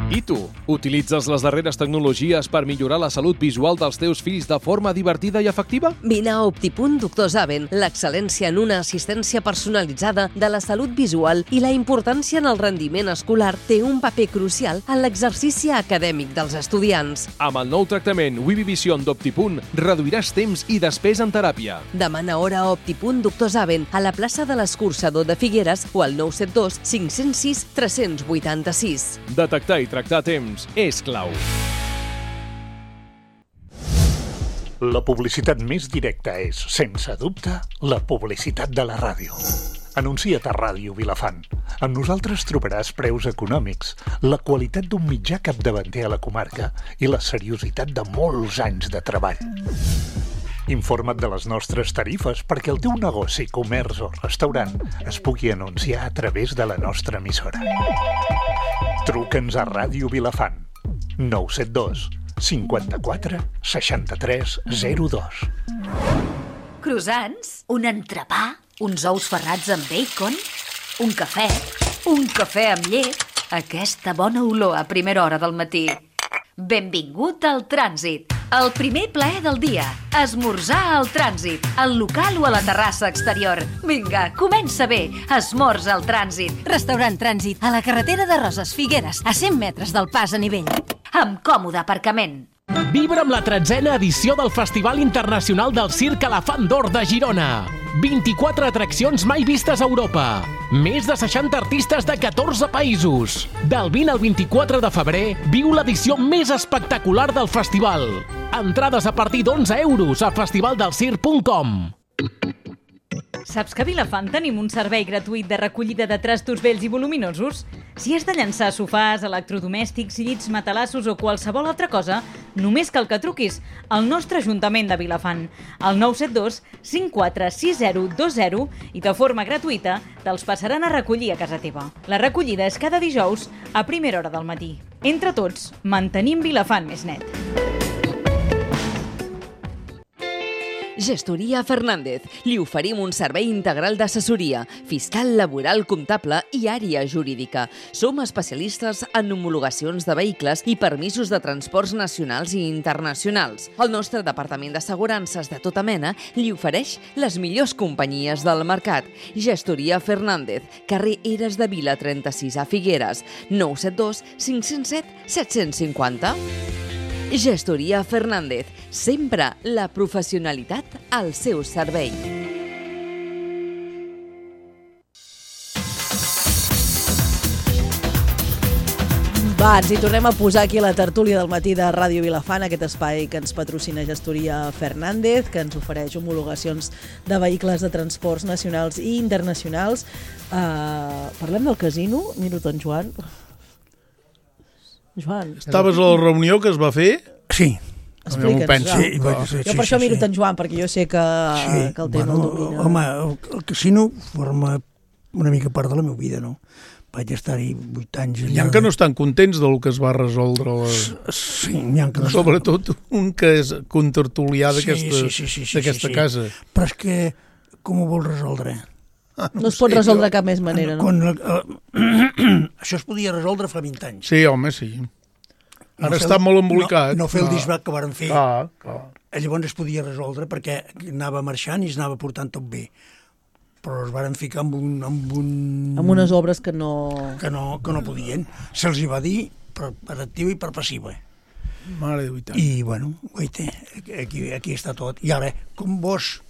I tu, utilitzes les darreres tecnologies per millorar la salut visual dels teus fills de forma divertida i efectiva? Vine a Optipunt Doctor Zaven, l'excel·lència en una assistència personalitzada de la salut visual i la importància en el rendiment escolar té un paper crucial en l'exercici acadèmic dels estudiants. Amb el nou tractament Vivivision d'Optipunt reduiràs temps i despesa en teràpia. Demana hora a Optipunt Doctor Zaven a la plaça de l'Escorxador de Figueres o al 972 506 386. Detectar i tractar a temps és clau. La publicitat més directa és, sense dubte, la publicitat de la ràdio. Anuncia't a Ràdio Vilafant. Amb nosaltres trobaràs preus econòmics, la qualitat d'un mitjà capdavanter a la comarca i la seriositat de molts anys de treball. Informa't de les nostres tarifes perquè el teu negoci, comerç o restaurant es pugui anunciar a través de la nostra emissora. Truca'ns a Ràdio Vilafant. 972 54 63 02. Croissants, un entrepà, uns ous ferrats amb bacon, un cafè amb llet, aquesta bona olor a primera hora del matí. Benvingut al Trànsit, el primer plaer del dia. Esmorzar al Trànsit, al local o a la terrassa exterior. Vinga, comença bé, esmorza al Trànsit. Restaurant Trànsit, a la carretera de Roses Figueres, a 100 metres del pas a nivell. Amb còmode aparcament. Vibra amb la 13a edició del Festival Internacional del Circ Elefant d'Or de Girona. 24 atraccions mai vistes a Europa. Més de 60 artistes de 14 països. Del 20 al 24 de febrer, viu l'edició més espectacular del festival. Entrades a partir d'11 € a festivaldelscir.com. Saps que a Vilafant tenim un servei gratuït de recollida de trastos vells i voluminosos? Si has de llançar sofàs, electrodomèstics, llits, matalassos o qualsevol altra cosa, només cal que truquis al nostre Ajuntament de Vilafant, al 972 546020 i de forma gratuïta te'ls passaran a recollir a casa teva. La recollida és cada dijous a primera hora del matí. Entre tots, mantenim Vilafant més net. Gestoria Fernández. Li oferim un servei integral d'assessoria, fiscal, laboral, comptable i àrea jurídica. Som especialistes en homologacions de vehicles i permisos de transports nacionals i internacionals. El nostre departament d'assegurances de tota mena li ofereix les millors companyies del mercat. Gestoria Fernández, carrer Eres de Vila 36 a Figueres, 972 507 750. Gestoria Fernández, sempre la professionalitat al seu servei. Va, ens hi tornem a posar aquí a la tertúlia del matí de Ràdio Vilafant, aquest espai que ens patrocina Gestoria Fernández, que ens ofereix homologacions de vehicles de transports nacionals i internacionals. Parlem del casino, miro en Joan. Joan. Estaves a la reunió que es va fer? Sí. Explica'ns. Jo per això miro en Joan, perquè jo sé que el tema el domina. Home, el casino forma una mica part de la meva vida, no? Vaig estar-hi 8 anys allà. N'hi ha que no estan contents del que es va resoldre. Sí, n'hi ha que no. Sobretot un que és contertulià d'aquesta casa. Però és que com ho vols resoldre? No es pot resoldre de cap més manera, no? Això es podia resoldre fa 20 anys. Sí, home, sí. Ara està molt embolicat. No fer el disbat que varen fer. Clar. Llavors es podia resoldre perquè anava marxant i es anava portant tot bé. Però es varen ficar amb unes obres que no podien. Se'ls hi va dir per activa i per passiva. Mare de veritat. I, bueno, guaita, aquí està tot. I ara, com vols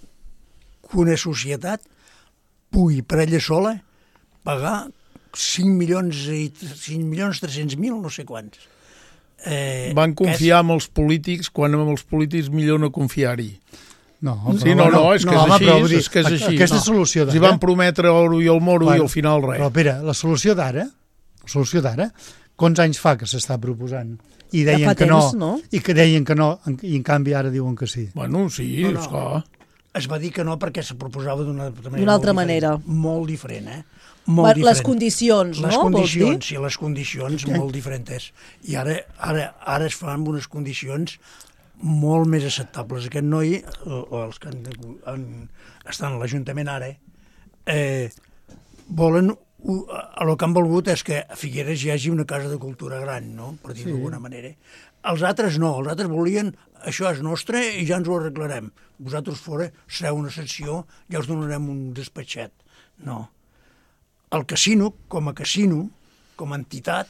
que una societat pugui per ella sola pagar 5.300.000, no sé quants. Van confiar en els polítics quan amb els polítics millor no confiar-hi. No, és que és així. Aquesta solució d'ara... Els van prometre oro i el moro i al final res. Però, Pere, la solució d'ara, quants anys fa que s'està proposant? I deien que no, i en canvi ara diuen que sí. Bueno, sí, esclar. Es va dir que no perquè se proposava d'una altra manera. Molt diferent, Les condicions, no? Les condicions molt diferents. I ara es fan amb unes condicions molt més acceptables. Aquest noi, o els que estan a l'Ajuntament ara, volen... El que han volgut és que a Figueres hi hagi una casa de cultura gran, no? Per dir d'alguna manera. Els altres no, els altres volien això és nostre i ja ens ho arreglarem. Vosaltres fora sereu una secció, ja us donarem un despatxet. No. El casino, com a entitat,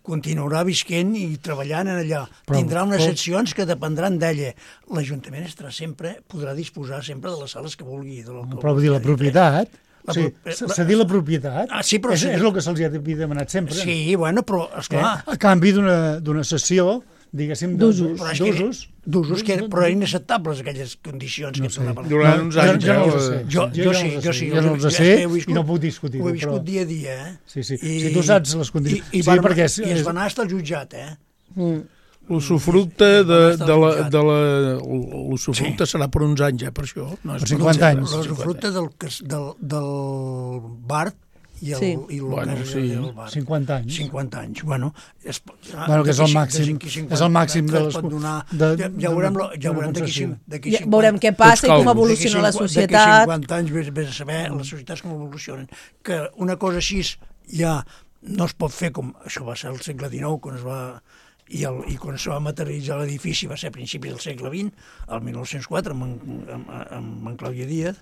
continuarà visquent i treballant en allà. Tindrà unes seccions que dependran d'ella. L'Ajuntament podrà disposar sempre de les sales que vulgui. Però vull dir, la propietat... cedir la propietat és el que se'ls havia demanat sempre. Sí, bueno, però, esclar... A canvi d'una sessió, diguéssim, d'usos. Però inacceptables aquelles condicions que donaven. Durant uns anys, jo sí. Jo no els sé i no puc discutir. Ho he viscut dia a dia, Sí. Si tu saps les condicions... I es va anar fins al jutjat, L'usufructe l'usufructe serà per uns anys, per això. Per 50 anys. L'usufructe del bar i el bar. 50 anys. 50 anys. Bueno, que és el màxim. És el màxim de les... Ja veurem d'aquí 50... Veurem què passa i com evoluciona la societat. D'aquí 50 anys vés a saber les societats com evolucionen. Que una cosa així ja no es pot fer com... Això va ser al segle XIX, quan es va... I quan es va materialitzar l'edifici va ser a principis del segle XX, el 1904, amb en Clàudia Díaz.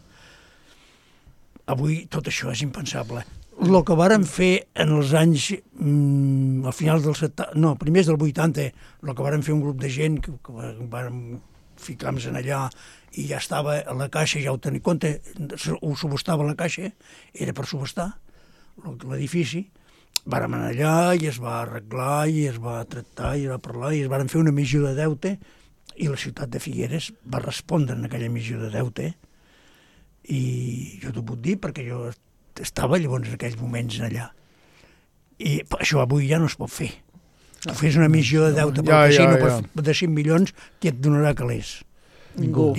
Avui tot això és impensable. El que varen fer en els anys, a finals dels 70, no, primers del 80, el que varen fer un grup de gent que varen ficàvem en allà i ja estava a la caixa, ja ho tenia en compte, ho subhastava a la caixa, era per subhastar l'edifici. Vàrem anar allà i es va arreglar i es va tractar i es va parlar i es van fer una emissió de deute i la ciutat de Figueres va respondre en aquella emissió de deute i jo t'ho puc dir perquè jo estava llavors en aquells moments allà. I això avui ja no es pot fer. Tu fes una emissió de deute pel casino de 5 milions, qui et donarà calés? Ningú.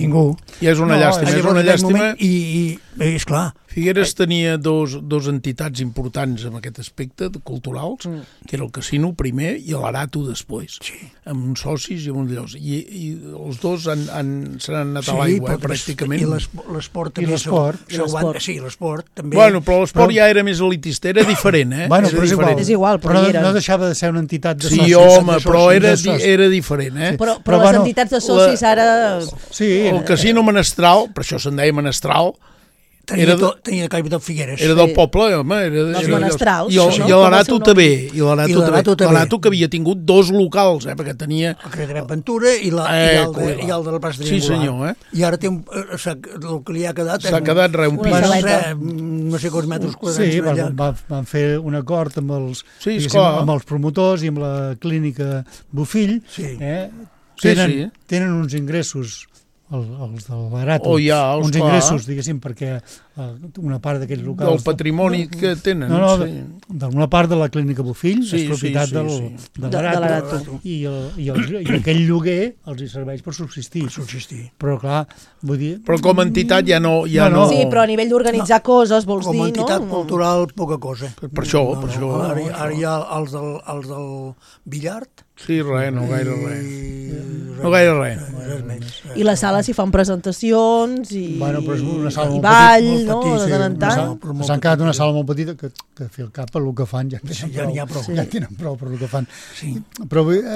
I és una llàstima. I esclar, Figueres tenia dos entitats importants en aquest aspecte, culturals, que era el casino primer i l'Arato després, amb uns socis i amb uns llocs. I els dos se n'han anat a l'aigua, pràcticament. I l'esport també. Sí, l'esport també. Bueno, però l'esport ja era més elitista, era diferent, eh? Bueno, però és igual, però no deixava de ser una entitat de socis. Sí, home, però era diferent, eh? Però les entitats de socis ara... El casino menestral, per això se'n deia menestral, tenia capital Figueres. Era del poble, home. Dels menestrals. I l'Arato també. I l'Arato que havia tingut 2 locals, perquè tenia... El Carrer de Ventura i el de la plaça de Sí, senyor, I ara té el que li ha quedat... S'ha quedat un pis. No sé quants metres quadrats. Sí, van fer un acord amb els promotors i amb la clínica Bofill. Tenen uns ingressos els de l'Arato, uns ingressos, diguéssim, perquè una part d'aquells locals... Del patrimoni que tenen. D'una part de la clínica Bofill, és propietat de l'Arato. I aquell lloguer els hi serveix per subsistir. Però, clar, vull dir... Però com a entitat ja no... Sí, però a nivell d'organitzar coses, vols dir, no? Com a entitat cultural, poca cosa. Per això. Ara hi ha els del Villart. Sí, res, no gaire res. No gaire res. I la sala s'hi fan presentacions i ball, no? De tant en tant. S'han quedat una sala molt petita que fer el cap per el que fan ja n'hi ha prou. Ja tenen prou per el que fan.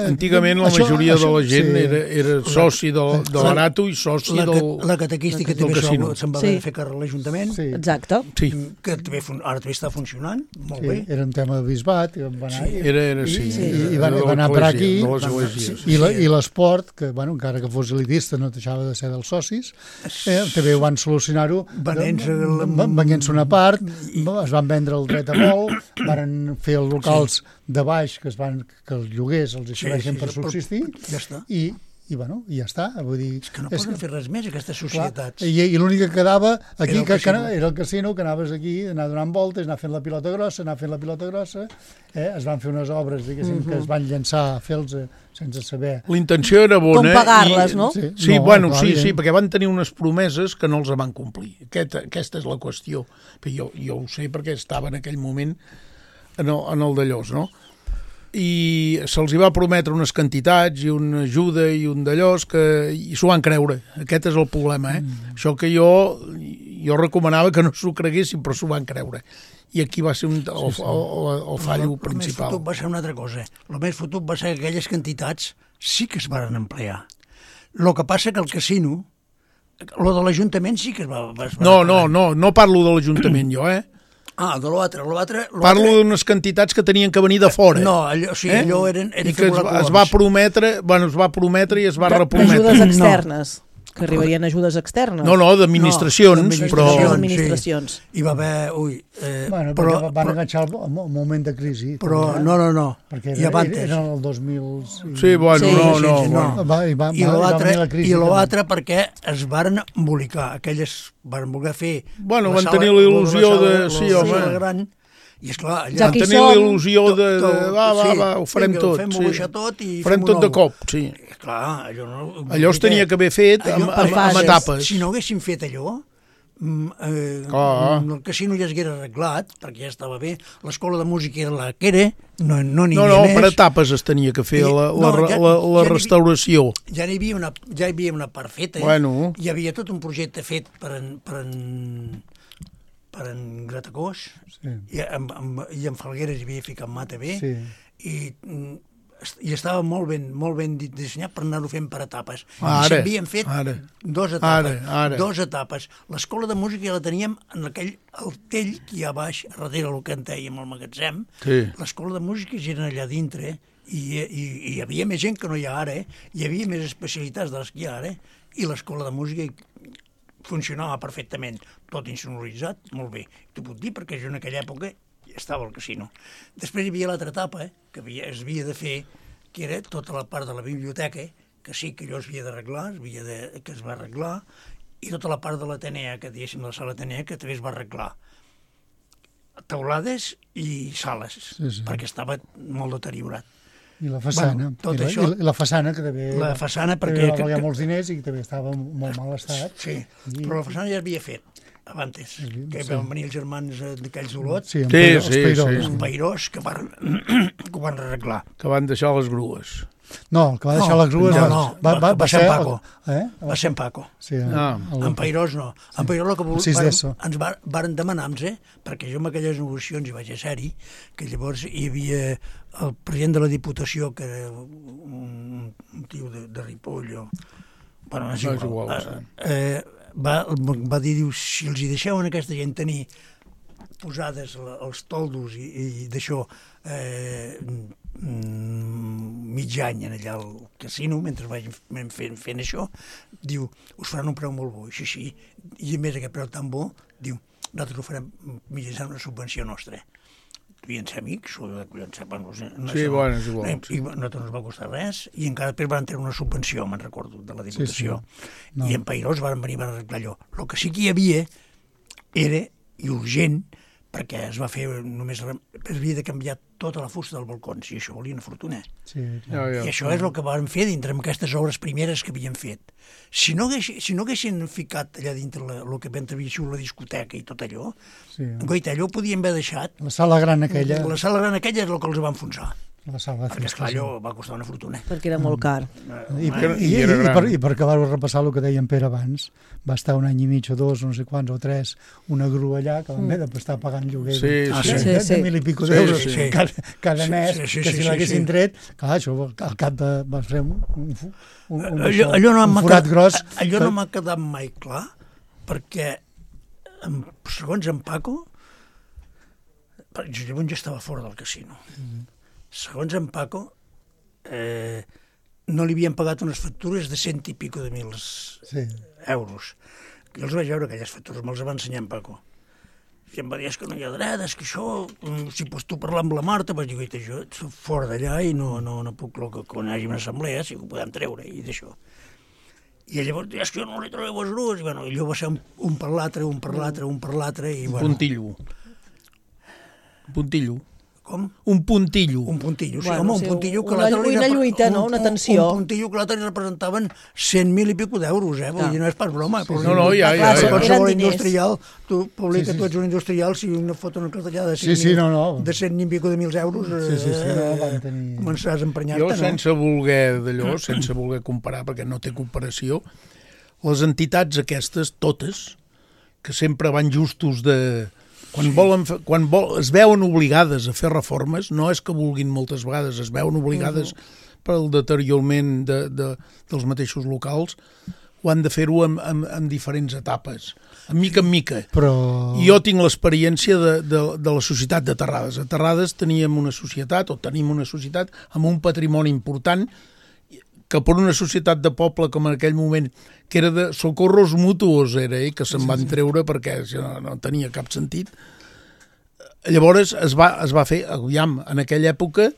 Antigament la majoria de la gent era soci de l'Arato i soci del... La catequística també se'n va fer càrrec a l'Ajuntament. Exacte. Que ara també està funcionant molt bé. Era un tema de bisbat. I van anar per aquí. I l'esport, que encara que fos elitista no deixava de ser dels socis, també ho van solucionar-ho venent-se una part, es van vendre el dret a vol, van fer els locals de baix que els lloguers els serveixen per subsistir i ja està. Vull dir, és que no poden fer res més aquestes societats. I l'únic que quedava aquí era el casino, que anaves aquí a anar donant voltes, anar fent la pilota grossa, es van fer unes obres que es van llançar a fer-los sense saber. L'intenció era bona. Com pagar-les, no? Sí, perquè van tenir unes promeses que no els van complir. Aquesta és la qüestió. Jo ho sé perquè estava en aquell moment en el d'allòs, no? I se'ls va prometre unes quantitats i una ajuda i un d'allòs i s'ho van creure. Aquest és el problema, Això que jo recomanava que no s'ho creguessin, però s'ho van creure. I aquí va ser el fallo principal. El més fotut va ser una altra cosa. El més fotut va ser que aquelles quantitats sí que es van emplear. El que passa que el casino, lo de l'Ajuntament sí que es va... No parlo de l'Ajuntament jo, de l'altre. Parlo d'unes quantitats que tenien que venir de fora. No, allò eren i que es va prometre i es va reprometre. D'ajudes externes. Que arribarien ajudes externes. No, d'administracions, però... D'administracions. Hi va haver... Però van enganxar el moment de crisi. Però no. Perquè era el 2000... Sí, no. I l'altre perquè es varen embolicar. Aquelles van voler fer... Bueno, van tenir la il·lusió de... Sí, home. I esclar, van tenir la il·lusió de ho farem tot. Fem-ho baixar tot i farem tot de cop, sí. Clar, allò es tenia que haver fet amb etapes. Si no haguessin fet allò, el casino ja s'hagués arreglat, perquè ja estava bé, l'escola de música era la que era, no n'hi havia més. Per etapes es tenia que fer la restauració. Ja hi havia una part feta, hi havia tot un projecte fet per en Gratacós, i en Falgueres hi havia ficat mà també, i estava molt ben dissenyat per anar-ho fent per etapes. I s'havien fet dues etapes. L'escola de música ja la teníem en el tell que hi ha baix, darrere el que en dèiem, el magatzem. L'escola de música ja era allà dintre, I hi havia més gent que no hi ha ara, hi havia més especialitats de les que hi ha ara, i l'escola de música funcionava perfectament, tot insonoritzat, molt bé. T'ho puc dir perquè jo en aquella època estava al casino. Després hi havia l'altra etapa, que es havia de fer, que era tota la part de la biblioteca, que sí que allò es havia d'arreglar, que es va arreglar, i tota la part de l'Atenea, que diguéssim de la sala Atenea, que també es va arreglar. Teulades i sales, perquè estava molt deteriorat. I la façana, i la façana que també la façana perquè va valer molts diners i que també estava en molt mal estat. Sí, però la façana ja havia fet abans, que van venir els germans d'aquells Olot, els Peirós, que ho van arreglar. Que van deixar les grues. No, el que va deixar les grues va ser en Paco. Va ser en Paco. En Peirós no. En Peirós el que ens varen demanar-nos, perquè jo en aquelles negociacions hi vaig ser-hi, que llavors hi havia el president de la Diputació, que era un tio de Ripoll, bueno, no és igual, va dir, si els hi deixeu a aquesta gent tenir posades els toldos i d'això mig any allà al casino, mentre vam fent això, diu, us faran un preu molt bo, així, i a més aquest preu tan bo, diu, nosaltres ho farem mitjançant una subvenció nostra. Devien ser amics, o devien ser... Sí, bueno, és igual. I a nosaltres no ens va costar res, i encara després van tenir una subvenció, me'n recordo, de la Diputació. I en Peirós van venir a arreglar allò. El que sí que hi havia era, i urgent, perquè es va fer només... Es havia de canviar tota la fusta dels balcons, i això volia una fortuna. I això és el que van fer dintre amb aquestes obres primeres que havien fet. Si no haguessin ficat allà dintre el que havia sigut la discoteca i tot allò, goita, allò ho podien haver deixat. La sala gran aquella. La sala gran aquella és el que els va enfonsar. Perquè, esclar, allò va costar una fortuna. Perquè era molt car. I per acabar de repassar el que deia en Pere abans, va estar un any i mig o dos, no sé quants, o tres, una grua allà que van haver d'estar pagant lloguer de 1.000 i pico d'euros cada mes, que si l'haguessin tret, clar, això al cap de... va ser un forat gros. Allò no m'ha quedat mai clar, perquè segons en Paco, llavors jo estava fora del casino. Segons en Paco, no li havien pagat unes factures de 100 i pico de mil euros. Jo els vaig veure, aquelles factures, me'ls va ensenyar en Paco. I em va dir, és que no hi ha dret, és que això, si pots tu parlar amb la Marta, vaig dir, jo soc fora d'allà i no puc, quan hi hagi una assemblea, si ho podem treure, i d'això. I llavors, és que jo no li trobeu els grues, i allò va ser un per l'altre, un per l'altre, i bueno... Puntillo. Com? Un puntillo. Un puntillo, sí, home, un puntillo que una lluita, no? Una tensió. Un puntillo que l'altre li representaven 100.000 i pico d'euros, vull dir, no és pas broma. No, ja. Qualsevol industrial, tu publica, tu ets un industrial, si una foto una cartellada de 100 i pico de mil euros, començaràs a emprenyar-te, no? Jo, sense voler d'allò, sense voler comparar, perquè no té comparació, les entitats aquestes, totes, que sempre van justos de... Quan es veuen obligades a fer reformes, no és que vulguin moltes vegades, es veuen obligades pel deteriorament dels mateixos locals, ho han de fer-ho en diferents etapes, en mica. I jo tinc l'experiència de la societat de Terrades. A Terrades tenim una societat amb un patrimoni important, que per una societat de poble com en aquell moment, que era de socorros mutuos, que se'n van treure perquè no tenia cap sentit. Llavors es va fer, en aquella època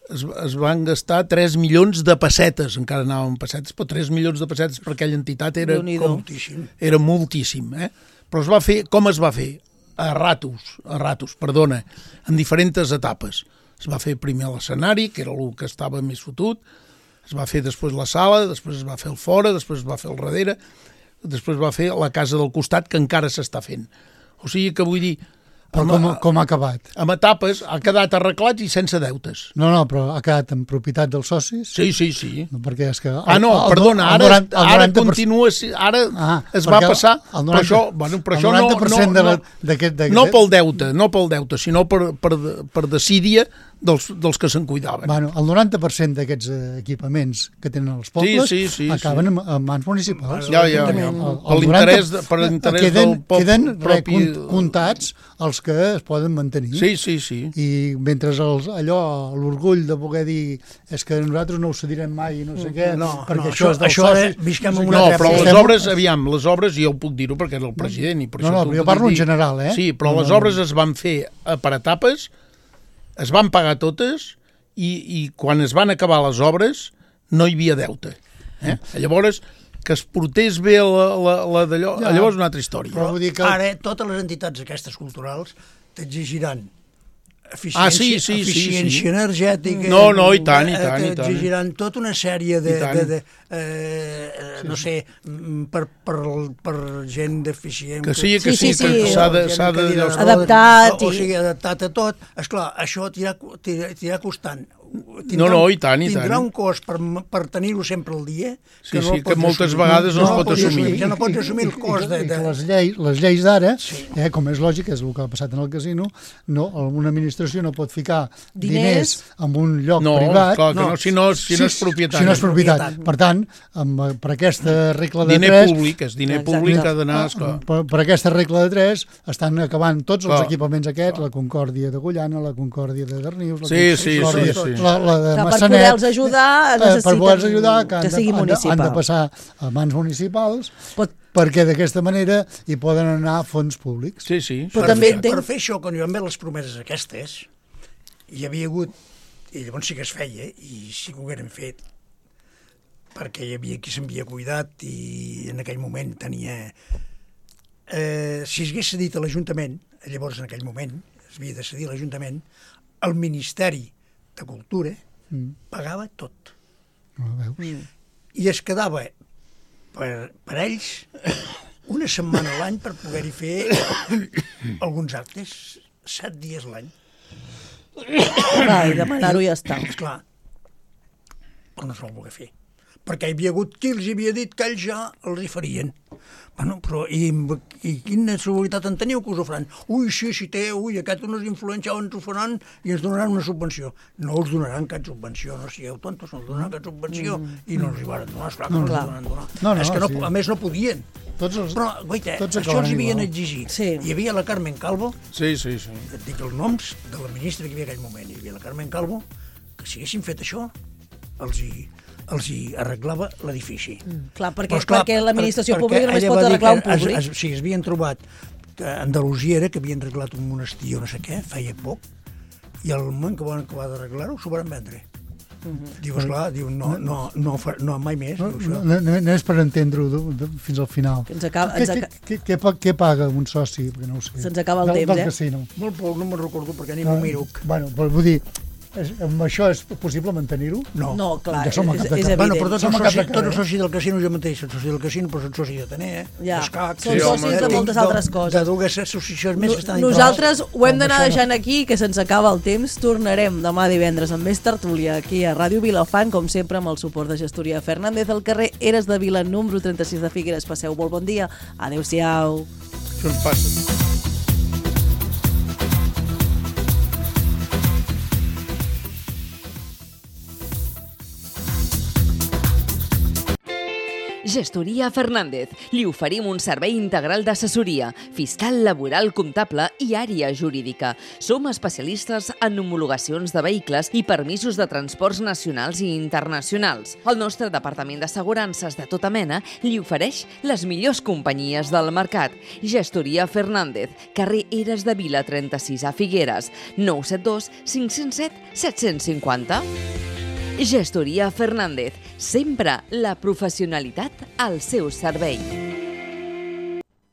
es van gastar 3 milions de pessetes, encara anàvem pessetes, però 3 milions de pessetes per aquella entitat era moltíssim. Però es va fer, com es va fer? A ratos, en diferents etapes. Es va fer primer l'escenari, que era el que estava més fotut, es va fer després la sala, després es va fer el fora, després es va fer el darrere, després es va fer la casa del costat, que encara s'està fent. O sigui que vull dir... Però com ha acabat? Amb etapes, ha quedat arreglat i sense deutes. No, però ha quedat en propietat dels socis? Sí. Perquè és que... Perdona, ara continua... Ara es va passar... Però això no pel deute, sinó per desídia dels que se'n cuidaven. Bueno, el 90% d'aquests equipaments que tenen els pobles acaben en mans municipals. Ja. Per l'interès del poble queden comptats els que es poden mantenir. Sí. I mentre l'orgull de poder dir és que nosaltres no ho cedirem mai i no sé què, perquè això és dels socis... Visquem en una però les obres, jo ho puc dir-ho perquè era el president i per això... No, jo parlo en general, Sí, però les obres es van fer per etapes, es van pagar totes i quan es van acabar les obres no hi havia deute. Llavors, que es portés bé la d'allò, llavors una altra història. Però vull dir que ara totes les entitats aquestes culturals t'exigiran eficiència energètica... No, i tant. T'exigiran tota una sèrie de no sé, per gent deficient... Que s'ha adaptat. O sigui, adaptat a tot. Esclar, això t'irà costant. I tant. Tindrà un cost per tenir-ho sempre al dia que moltes vegades no es pot assumir. Ja no pots assumir el cost de... Les lleis d'ara, com és lògic, és el que ha passat en el casino, una administració no pot ficar diners en un lloc privat. Clar que no, si no és propietat. Si no és propietat. Per tant, per aquesta regla de 3... Diner públic ha d'anar... Per aquesta regla de 3 estan acabant tots els equipaments aquests, la Concòrdia d'Agullana, la Concòrdia de Darnius... Sí. La de Massanet, per poder-los ajudar necessiten que sigui municipal. Han de passar a mans municipals perquè d'aquesta manera hi poden anar fons públics. Sí. Per fer això, quan hi van haver les promeses aquestes, hi havia hagut, i llavors sí que es feia, i sí que ho hagueren fet, perquè hi havia qui s'havia cuidat i en aquell moment tenia... Si s'hagués cedit a l'Ajuntament, llavors en aquell moment s'havia de cedir a l'Ajuntament, el Ministeri de Cultura pagava tot. I es quedava per ells una setmana a l'any per poder-hi fer alguns actes, 7 dies a l'any. I demanar-ho i ja està. Esclar, però no s'ho va poder fer. Perquè hi havia hagut qui els havia dit que ells ja els hi farien. Bueno, però i quina seguretat en teniu que us ho faran? Si té, aquest no és influència, ens ho faran i ens donaran una subvenció. No us donaran cap subvenció, no sigueu tontos, no us donaran cap subvenció i no els hi van donar, esclar que no els van donar. És que a més no podien. Però, guaita, això els havien exigit. Hi havia la Carmen Calvo, et dic els noms de la ministra que hi havia en aquell moment, hi havia la Carmen Calvo, que si haguessin fet això, els hi arreglava l'edifici. Clar, perquè l'administració pública només pot arreglar un públic. Sí, es havien trobat que Andalusia era que havien arreglat un monestir o no sé què, feia poc, i al moment que van acabar d'arreglar-ho, s'ho van vendre. Diu, esclar, no mai més. No és per entendre-ho fins al final. Què paga un soci? Se'ns acaba el temps, casino. Molt poc, no me'n recordo perquè ni m'ho miro. Bueno, però vull dir, amb això és possible mantenir-ho? No, clar, és evident. Bueno, però tots els socis del casino jo mateix, soc soci del casino, però soc soci d'Atenea, d'Escac... Són socis de moltes altres coses. De dues associacions més que estan... Nosaltres ho hem d'anar deixant aquí, que se'ns acaba el temps. Tornarem demà divendres amb més tertúlia aquí a Ràdio Vilafant, com sempre amb el suport de Gestoria Fernández al carrer Eres de Vila, número 36 de Figueres. Passeu molt bon dia. Adéu-siau. Això ens passa. Gestoria Fernández. Li oferim un servei integral d'assessoria, fiscal, laboral, comptable i àrea jurídica. Som especialistes en homologacions de vehicles i permisos de transports nacionals i internacionals. El nostre departament d'assegurances de tota mena li ofereix les millors companyies del mercat. Gestoria Fernández, carrer Eres de Vila 36 a Figueres, 972 507 750. Gestoria Fernández, sempre la professionalitat al seu servei.